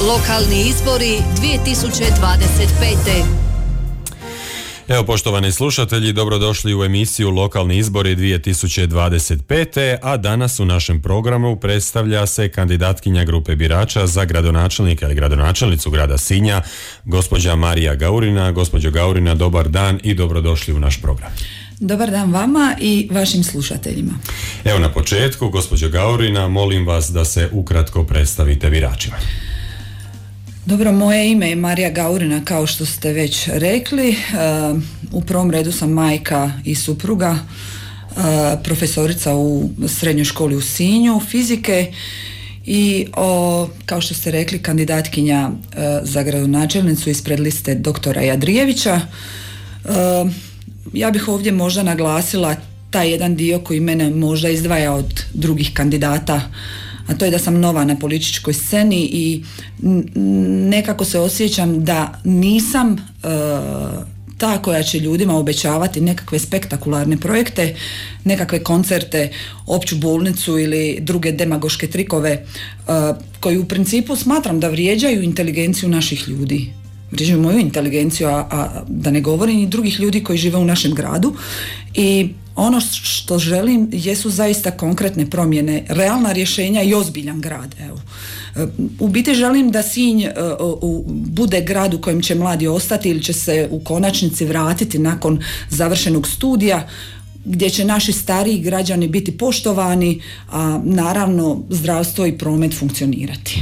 Lokalni izbori 2025. Evo, poštovani slušatelji, dobrodošli u emisiju Lokalni izbori 2025. A danas u našem programu predstavlja se kandidatkinja grupe birača za gradonačelnika ili gradonačelnicu grada Sinja, gospođa Marija Gaurina. Gospođo Gaurina, dobar dan i dobrodošli u naš program. Dobar dan vama i vašim slušateljima. Evo, na početku, gospođo Gaurina, molim vas da se ukratko predstavite biračima. Dobro, moje ime je Marija Gaurina, kao što ste već rekli. U prvom redu sam majka i supruga, profesorica u srednjoj školi u Sinju, fizike i kao što ste rekli, kandidatkinja za gradonačelnicu ispred liste doktora Jadrijevića. Ja bih ovdje možda naglasila taj jedan dio koji mene možda izdvaja od drugih kandidata, a to je da sam nova na političkoj sceni i nekako se osjećam da nisam ta koja će ljudima obećavati nekakve spektakularne projekte, nekakve koncerte, opću bolnicu ili druge demagoške trikove koji u principu smatram da vrijeđaju inteligenciju naših ljudi. Vrijeđaju moju inteligenciju, a da ne govorim i drugih ljudi koji žive u našem gradu. I ono što želim jesu zaista konkretne promjene, realna rješenja i ozbiljan grad. Evo. U biti želim da Sinj bude grad u kojem će mladi ostati ili će se u konačnici vratiti nakon završenog studija, gdje će naši stariji građani biti poštovani, a naravno zdravstvo i promet funkcionirati.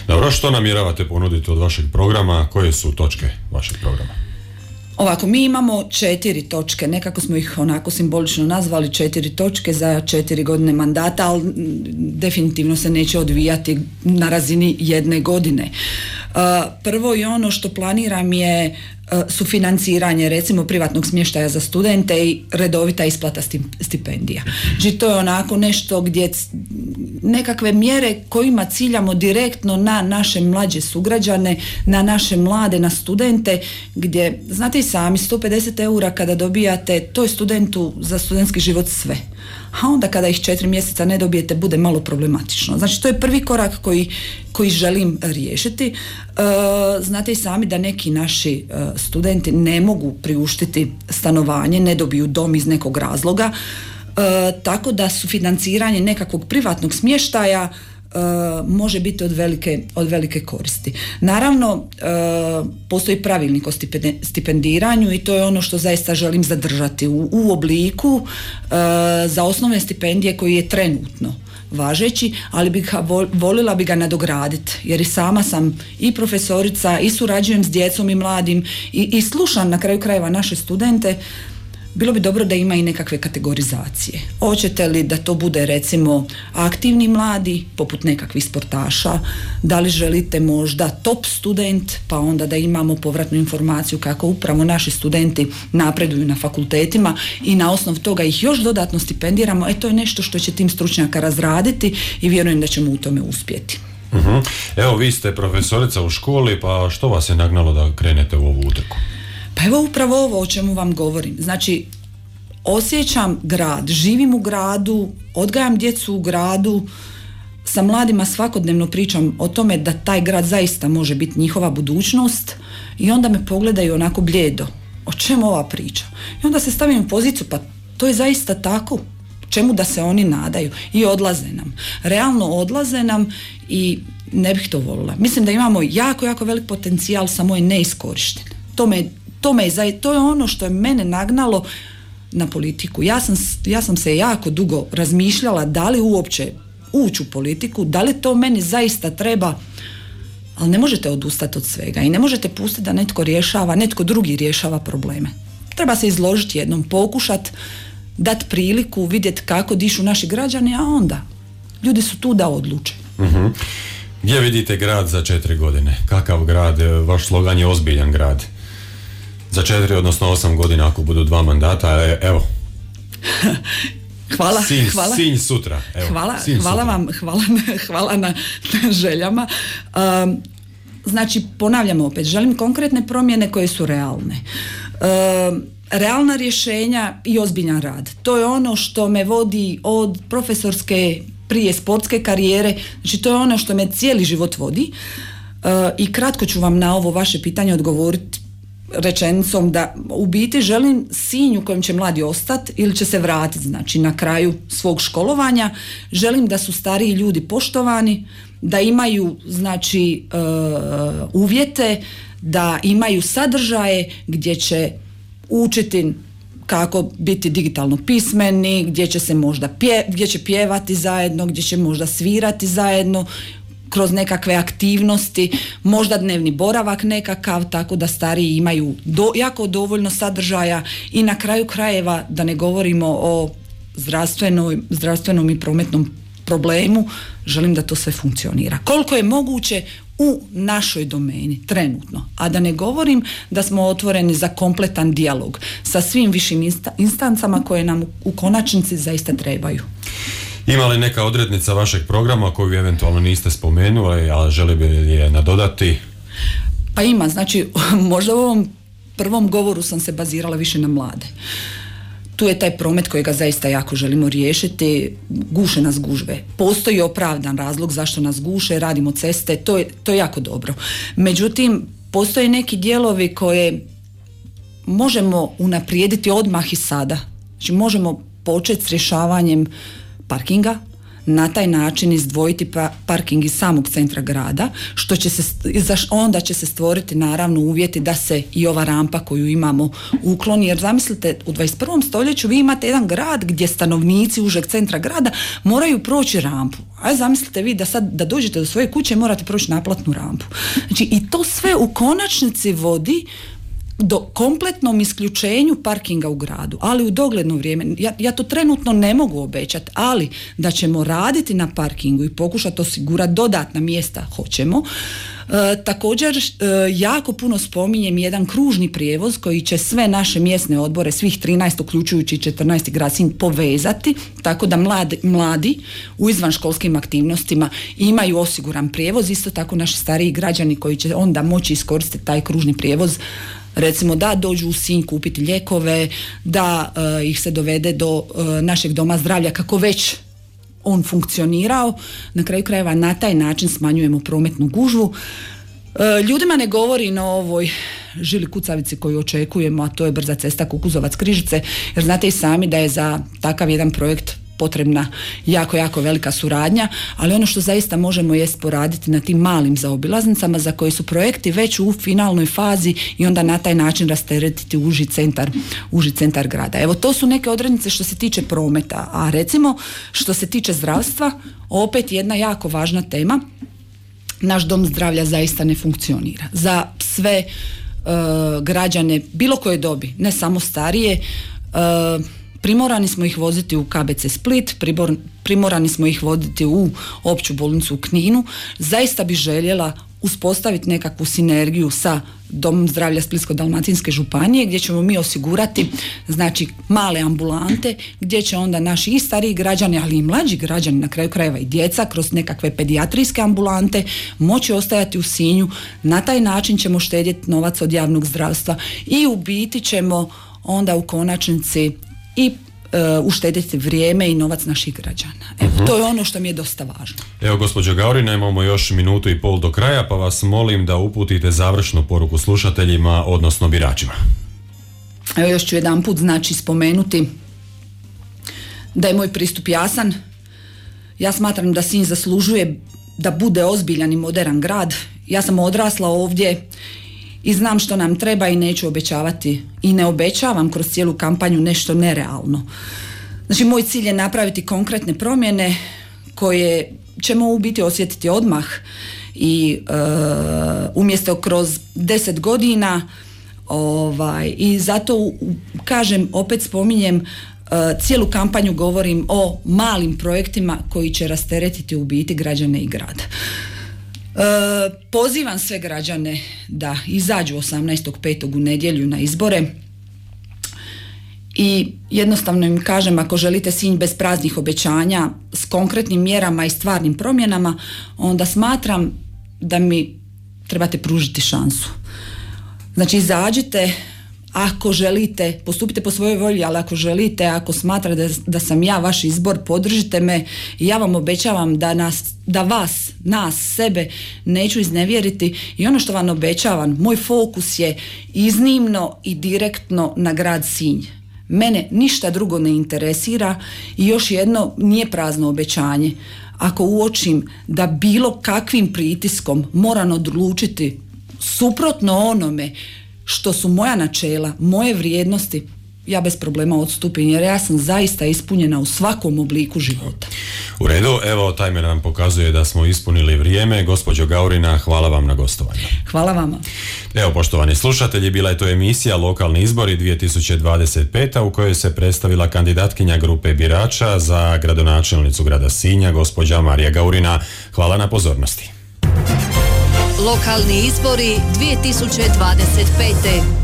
Dobro, što namjeravate ponuditi od vašeg programa? Koje su točke vašeg programa? Ovako, mi imamo 4 točke, nekako smo ih onako simbolično nazvali 4 točke za 4 godine mandata, ali definitivno se neće odvijati na razini jedne godine. Prvo i ono što planiram je sufinanciranje recimo privatnog smještaja za studente i redovita isplata stipendija. Znači to je onako nešto gdje nekakve mjere kojima ciljamo direktno na naše mlađe sugrađane, na naše mlade, na studente, gdje znate i sami 150 eura kada dobijate, to je studentu za studentski život sve. A onda kada ih 4 mjeseca ne dobijete bude malo problematično. Znači to je prvi korak koji želim riješiti. Znate i sami da neki naši studenti ne mogu priuštiti stanovanje, ne dobiju dom iz nekog razloga, tako da sufinanciranje nekakvog privatnog smještaja može biti od velike koristi. Naravno, postoji pravilnik o stipendiranju i to je ono što zaista želim zadržati u obliku za osnovne stipendije koji je trenutno važeći, ali volila bi ga nadograditi, jer i sama sam i profesorica i surađujem s djecom i mladim i slušam na kraju krajeva naše studente. Bilo bi dobro da ima i nekakve kategorizacije. Hoćete li da to bude recimo aktivni mladi, poput nekakvih sportaša, da li želite možda top student, pa onda da imamo povratnu informaciju kako upravo naši studenti napreduju na fakultetima i na osnovu toga ih još dodatno stipendiramo. To je nešto što će tim stručnjaka razraditi i vjerujem da ćemo u tome uspjeti. Evo, vi ste profesorica u školi, pa što vas je nagnalo da krenete u ovu utrku? Pa evo upravo ovo o čemu vam govorim. Znači, osjećam grad, živim u gradu, odgajam djecu u gradu, sa mladima svakodnevno pričam o tome da taj grad zaista može biti njihova budućnost i onda me pogledaju onako bljedo. O čemu ova priča? I onda se stavim u poziciju, pa to je zaista tako. Čemu da se oni nadaju? I odlaze nam. Realno odlaze nam i ne bih to volila. Mislim da imamo jako, jako velik potencijal, samo je neiskorišten. To je ono što je mene nagnalo na politiku. Ja sam se jako dugo razmišljala da li uopće ući u politiku, da li to meni zaista treba, ali ne možete odustati od svega i ne možete pustiti da netko drugi rješava probleme. Treba se izložiti jednom, pokušati, dati priliku, vidjeti kako dišu naši građani, a onda ljudi su tu da odluče. Gdje vidite grad za 4 godine? Kakav grad? Vaš slogan je ozbiljan grad. Za 4, odnosno 8 godina ako budu 2 mandata, evo. Hvala. Sinj sutra. Evo, hvala na željama. Znači, ponavljamo opet, želim konkretne promjene koje su realne. Realna rješenja i ozbiljan rad. To je ono što me vodi od profesorske prije sportske karijere, znači to je ono što me cijeli život vodi. I kratko ću vam na ovo vaše pitanje odgovoriti rečenicom da u biti želim Sinj u kojem će mladi ostati ili će se vratiti, znači na kraju svog školovanja. Želim da su stariji ljudi poštovani, da imaju znači uvjete, da imaju sadržaje gdje će učiti kako biti digitalno pismeni, gdje će se možda gdje će pjevati zajedno, gdje će možda svirati zajedno kroz nekakve aktivnosti, možda dnevni boravak nekakav, tako da stariji imaju jako dovoljno sadržaja i na kraju krajeva da ne govorimo o zdravstvenom i prometnom problemu, želim da to sve funkcionira. Koliko je moguće u našoj domeni trenutno, a da ne govorim da smo otvoreni za kompletan dijalog sa svim višim instancama koje nam u konačnici zaista trebaju. Ima li neka odrednica vašeg programa koju eventualno niste spomenuli, a želi bi je nadodati? Pa ima, znači možda u ovom prvom govoru sam se bazirala više na mlade. Tu je taj promet kojega zaista jako želimo riješiti, guše nas gužve. Postoji opravdan razlog zašto nas guše, radimo ceste, to je jako dobro. Međutim, postoje neki dijelovi koje možemo unaprijediti odmah i sada. Znači možemo početi s rješavanjem parkinga, na taj način izdvojiti parking iz samog centra grada, što će onda će se stvoriti naravno uvjeti da se i ova rampa koju imamo ukloni, jer zamislite u 21. stoljeću vi imate jedan grad gdje stanovnici užeg centra grada moraju proći rampu. A zamislite vi da sad da dođete do svoje kuće morate proći naplatnu rampu. Znači i to sve u konačnici vodi do kompletnom isključenju parkinga u gradu, ali u dogledno vrijeme, ja to trenutno ne mogu obećati, ali da ćemo raditi na parkingu i pokušati osigurati dodatna mjesta, hoćemo. Također jako puno spominjem jedan kružni prijevoz koji će sve naše mjesne odbore, svih 13 uključujući 14. grad Sinj povezati, tako da mladi u izvanškolskim aktivnostima imaju osiguran prijevoz, isto tako naši stariji građani koji će onda moći iskoristiti taj kružni prijevoz, recimo da dođu u Sinj kupiti lijekove, da ih se dovede do našeg doma zdravlja kako već on funkcionirao. Na kraju krajeva na taj način smanjujemo prometnu gužvu. Ljudima ne govori na ovoj žili kucavici koju očekujemo, a to je brza cesta Kukuzovac-Križice, jer znate i sami da je za takav jedan projekt potrebna jako velika suradnja, ali ono što zaista možemo jest poraditi na tim malim zaobilaznicama za koji su projekti već u finalnoj fazi i onda na taj način rasteretiti uži centar grada. Evo, to su neke odrednice što se tiče prometa, a recimo što se tiče zdravstva, opet jedna jako važna tema, naš dom zdravlja zaista ne funkcionira. Za sve građane bilo koje dobi, ne samo starije, primorani smo ih voziti u KBC Split, primorani smo ih voditi u opću bolnicu u Kninu. Zaista bi željela uspostaviti nekakvu sinergiju sa Domom zdravlja Splitsko-dalmatinske županije gdje ćemo mi osigurati znači male ambulante gdje će onda naši i stariji građani, ali i mlađi građani, na kraju krajeva i djeca, kroz nekakve pedijatrijske ambulante moći ostajati u Sinju. Na taj način ćemo štedjeti novac od javnog zdravstva i u biti ćemo onda u konačnici i uštediti vrijeme i novac naših građana. Evo, to je ono što mi je dosta važno. Evo, gospođo Gaurina, imamo još minutu i pol do kraja, pa vas molim da uputite završnu poruku slušateljima, odnosno biračima. Evo, još ću jedanput znači spomenuti da je moj pristup jasan. Ja smatram da Sinj zaslužuje da bude ozbiljan i moderan grad. Ja sam odrasla ovdje i znam što nam treba i neću obećavati i ne obećavam kroz cijelu kampanju nešto nerealno. Znači, moj cilj je napraviti konkretne promjene koje ćemo u biti osjetiti odmah i umjesto kroz 10 godina i zato kažem, opet spominjem, cijelu kampanju govorim o malim projektima koji će rasteretiti u biti građane i grad. Pozivam sve građane da izađu 18.5. u nedjelju na izbore i jednostavno im kažem, ako želite Sinj bez praznih obećanja s konkretnim mjerama i stvarnim promjenama, onda smatram da mi trebate pružiti šansu. Znači, izađite, ako želite, postupite po svojoj volji, ali ako želite, ako smatrate da sam ja vaš izbor, podržite me i ja vam obećavam da vas, nas, sebe neću iznevjeriti i ono što vam obećavam, moj fokus je iznimno i direktno na grad Sinj. Mene ništa drugo ne interesira i još jedno, nije prazno obećanje. Ako uočim da bilo kakvim pritiskom moram odlučiti suprotno onome što su moja načela, moje vrijednosti, ja bez problema odstupim jer ja sam zaista ispunjena u svakom obliku života. U redu, evo tajmer nam pokazuje da smo ispunili vrijeme. Gospođo Gaurina, hvala vam na gostovanju. Hvala vama. Evo, poštovani slušatelji, bila je to emisija Lokalni izbori 2025. u kojoj se predstavila kandidatkinja grupe birača za gradonačelnicu grada Sinja, gospođa Marija Gaurina. Hvala na pozornosti. Lokalni izbori 2025.